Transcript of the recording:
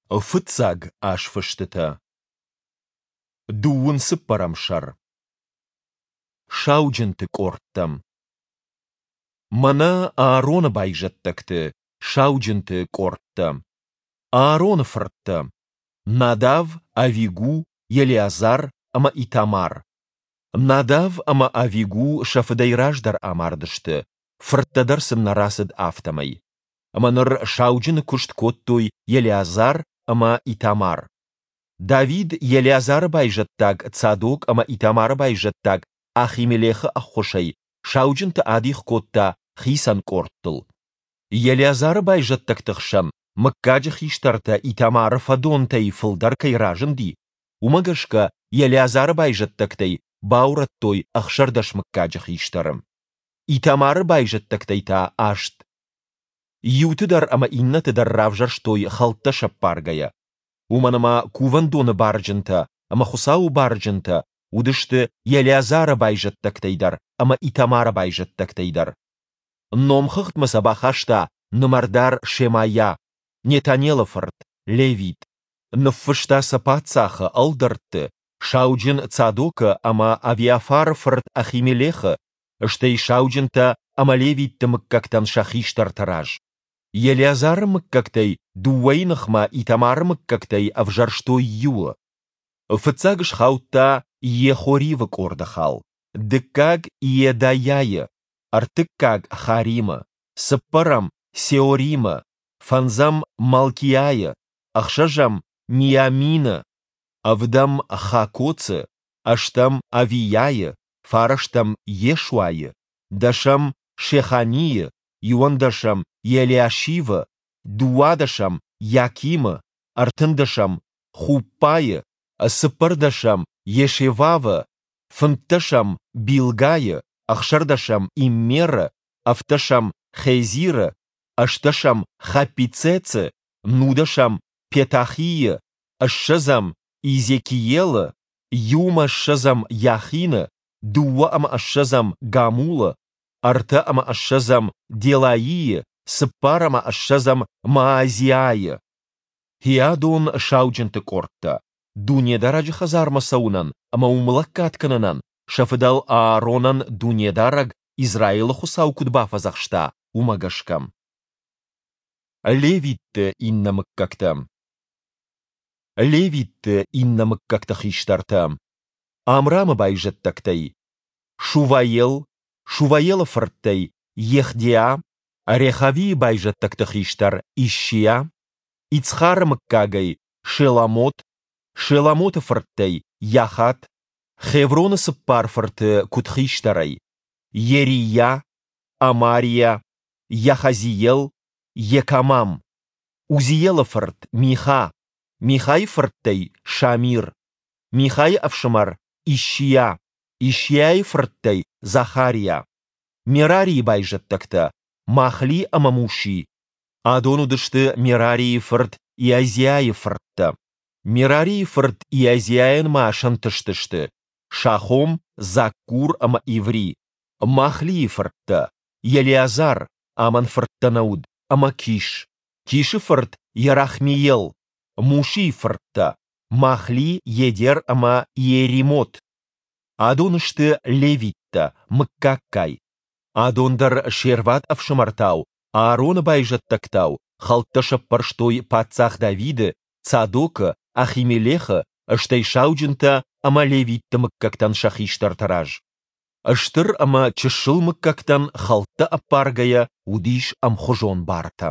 Фыццаг азфыстытӕ. Дыууын цыппӕрӕм сӕр. Сауджынты къордтӕ. Мӕнӕ Аароны байзӕддӕгты, сауджынты къордтӕ. Аароны фырттӕ: Надав, Авигу, Елеазар ӕмӕ Итамар. Надав ӕмӕ Авигу сӕ фыдӕй раздӕр амардысты, фырттӕ дӕр сын нӕ рацыд, афтӕмӕй. Ӕмӕ ныр сауджыны куыст кодтой Елеазар ӕмӕ Итамар. Давид Елеазары байзӕддаг Цадок ӕмӕ Итамары байзӕддаг Ахимелехы ӕххуысӕй сауджынты адих кодта хицӕн къордтыл. Елеазары байзӕддӕгты хсӕн мыггаджы хистӕртӕ Итамары фӕдонтӕй фылдӕр кӕй разынди, уымӕ гӕсгӕ Елеазары байзӕддӕгтӕй баурӕдтой 16 мыггаджы хистӕры. Итамары байзӕддӕгтӕй та аст. Иуты дӕр ӕмӕ иннӕты дӕр равзӕрстой хӕлттӕ сӕппаргӕйӕ. Уымӕн ӕмӕ кувӕндоны барджынтӕ ӕмӕ Хуыцауы барджынтӕ уыдысты Елеазары байзӕддӕгтӕй дӕр ӕмӕ Итамары байзӕддӕгтӕй дӕр. Номхыгъдмӕ сӕ бахаста нымӕрдар Шемайа, Нетанелы фырт, левит. Ныффыста сӕ паддзахы, ӕлдӕртты, сауджын Цадокы ӕмӕ Авиафары фырт Ахимелехы, стӕй сауджынтӕ ӕмӕ левитты мыггӕгтӕн сӕ хистӕрты раз. Елеазары мыггӕгтӕй дыууӕйы ныхмӕ Итамары мыггӕгтӕй ӕвзӕрстой иуы. Фыццаг схаудта Иехоривы къорды хал, дыккаг Иедайӕйы, ӕртыккаг Харимы, цыппӕрӕм Сеоримы, фӕндзӕм Малкиайы, ӕхсӕзӕм Миамины, ӕвдӕм Хакоцы, ӕстӕм Авийайы, фарӕстӕм Йешуайы, дӕсӕм Шеханийы, иуӕндӕсӕм Елиашивы, дыууадӕсӕм Йакимы, ӕртындӕсӕм Хуппайы, цыппӕрдӕсӕм Йешевавы, фынддӕсӕм Билгайы, ӕхсӕрдӕсӕм Иммеры, ӕвддӕсӕм Хезиры, ӕстдӕсӕм Хаппицецы, нудӕсӕм Петахийы, ссӕдзӕм Иезекиелы, иу ӕмӕ ссӕдзӕм Йахины, дыууӕ ӕмӕ ссӕдзӕм Гамулы, ӕртӕ ӕмӕ ссӕдзӕм Делаийы, цыппар ӕмӕ ссӕдзӕм Маазиайы. Хиадон сауджынты къордтӕ, Дунедарӕджы хӕдзармӕ цӕуынӕн ӕмӕ уым лӕггад кӕнынӕн сӕ фыдӕл Ааронӕн Дунедарӕг, Израилы Хуыцау куыд бафӕдзӕхста, уымӕ гӕсгӕ. Левитты иннӕ мыггӕгтӕ. Левитты иннӕ мыггӕгты хистӕртӕ: Амрамы байзӕддӕгтӕй Шуваел, Шуваелы фырттӕй Ехдиа, Рехавийы байзӕддӕгты хистӕр Ишшиа, Ицхары мыггагӕй Шеломот, Шеломоты фырттӕй Йахат, Хевроны цыппар фырты куыд хистӕрӕй: Йерийа, Амариа, Йахазиел, Йекамам, Узиелы фырт Миха, Михайы фырттӕй Шамир, Михайы ӕфсымӕр Ишшиа, Ишшиайы фырттӕй Захариа, Мерарийы байзӕддӕгтӕ Махли ӕмӕ Муши. Адон уыдысты Мерарийы фырт Иазиайы фырттӕ. Мерарийы фырт Иазиайӕн ма сӕнтыстысты Шахом, Заккур ӕмӕ Иври. Махлийы фырттӕ Елеазар, амӕн фырттӕ нӕ уыд, ӕмӕ Киш, Кишы фырт Йерахмеел, Мушийы фырттӕ Махли, Едер ӕмӕ Иеримот. Адон сты левиттӕ, мыггаггай. Адон дӕр се рвад ӕфсымӕртау, Аароны байзӕддӕгтау, хӕлттӕ сӕппӕрстой паддзах Давиды, Цадокы, Ахимелехы, стӕй сауджынтӕ ӕмӕ левитты мыггӕгтӕн сӕ хистӕрты раз. Стыр ӕмӕ чысыл мыггӕгтӕн хӕлттӕ ӕппаргӕйӕ уыдис ӕмхуызон бартӕ.